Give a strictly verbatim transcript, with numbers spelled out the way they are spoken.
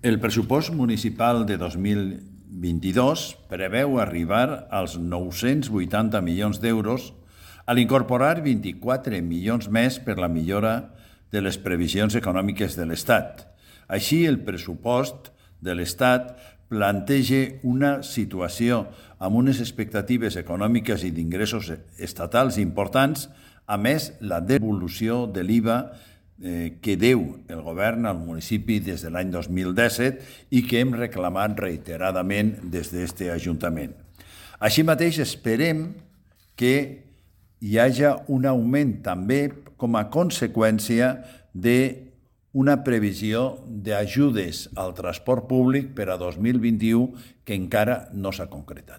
El pressupost municipal de dos mil vint-i-dos preveu arribar als nou-cents vuitanta milions d'euros a l'incorporar vint-i-quatre milions més per la millora de les previsions econòmiques de l'Estat. Així, el pressupost de l'Estat planteja una situació amb unes expectatives econòmiques i d'ingressos estatals importants, a més la devolució de l'I V A eh, que deu el govern al municipi des de l'any dos mil disset i que hem reclamat reiteradament des d'aquest Ajuntament. Així mateix esperem que hi hagi un augment també com a conseqüència d'una previsió d'ajudes al transport públic per a dos mil vint-i-u que encara no s'ha concretat.